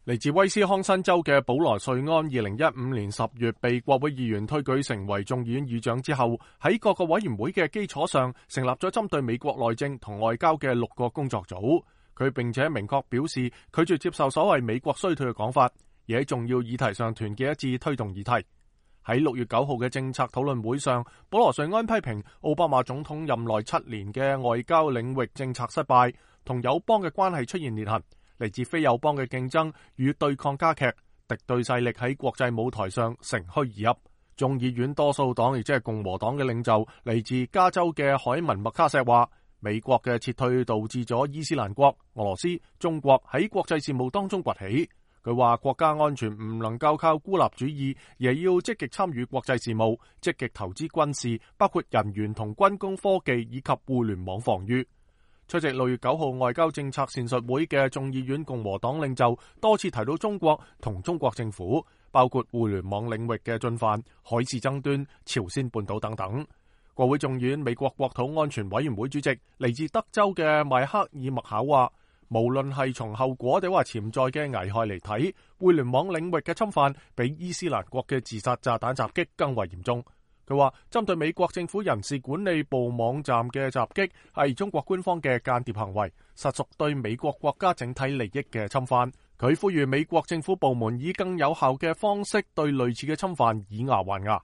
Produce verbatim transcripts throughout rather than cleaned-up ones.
嚟自威斯康辛州嘅保羅瑞安，二零一五年十月被國會議員推舉成為眾議院議長之後，喺各個委員會嘅基礎上，成立咗針對美國內政同外交嘅六個工作組。佢並且明確表示拒絕接受所謂美國衰退嘅講法，而喺重要議題上團結一致推動議題。喺六月九號嘅政策討論會上，保羅瑞安批評奧巴馬總統任內七年嘅外交領域政策失敗，同友邦嘅關係出現裂痕。嚟自非友邦嘅競爭與對抗加劇，敵對勢力喺國際舞台上乘虛而入。眾議院多數黨亦即係共和黨嘅領袖嚟自加州嘅海文麥卡錫話，美國嘅撤退導致咗伊斯蘭國、俄羅斯、中國喺國際事務當中崛起。佢話國家安全唔能夠靠孤立主義，而係要積極參與國際事務，積極投資軍事，包括人員同軍工科技以及互聯網防禦。出席六月九號外交政策闡述會嘅眾議院共和黨領袖多次提到中國同中國政府，包括互聯網領域嘅進犯、海事爭端、朝鮮半島等等。國會眾議院美國國土安全委員會主席嚟自德州嘅邁克爾麥考話，無論係從後果定話潛在嘅危害嚟睇，互聯網領域嘅侵犯比伊斯蘭國嘅自殺炸彈襲擊更為嚴重。佢話針對美國政府人事管理部網站嘅襲擊係中國官方嘅間諜行為，實屬對美國國家整體利益嘅侵犯。佢呼籲美國政府部門以更有效嘅方式對類似嘅侵犯以牙還牙。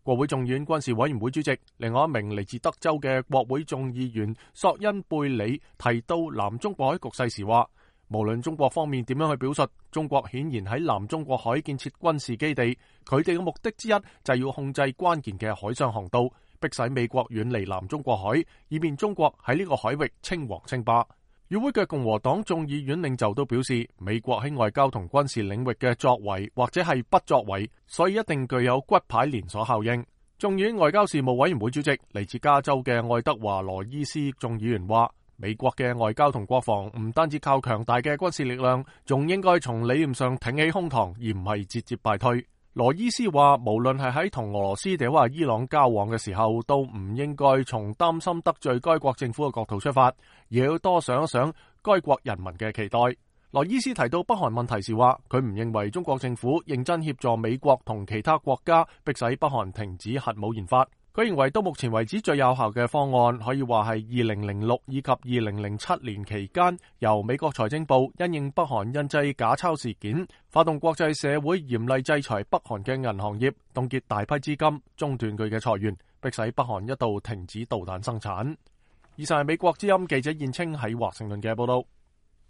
國會眾議院軍事委員會主席，另外一名嚟自德州嘅國會眾議員索恩貝里提到南中國海局勢時話，無論中國方面點樣去表述，中國顯然喺南中國海建設軍事基地，佢哋嘅目的之一就係要控制關鍵嘅海上航道，迫使美國遠離南中國海，以便中國喺呢個海域稱王稱霸。與會嘅共和黨眾議院領袖都表示，美國喺外交同軍事領域嘅作為或者係不作為，所以一定具有骨牌連鎖效應。眾議院外交事務委員會主席嚟自加州嘅愛德華羅伊斯眾議員話，美國嘅外交同國防唔單止靠強大嘅軍事力量，仲應該從理念上挺起胸膛，而唔係節節敗退。羅伊斯話，無論係喺同俄羅斯定話伊朗交往嘅時候，都唔應該從擔心得罪該國政府嘅角度出發，而要多想一想該國人民嘅期待。羅伊斯提到北韓問題時話，佢唔認為中國政府認真協助美國同其他國家迫使北韓停止核武研發。佢認為到目前為止最有效嘅方案，可以話係二零零六以及二零零七年期間，由美國財政部因應北韓印製假鈔事件，發動國際社會嚴厲制裁北韓嘅銀行業，凍結大批資金，中斷佢嘅財源，迫使北韓一度停止導彈生產。以上係美國之音記者燕青喺華盛頓嘅報道。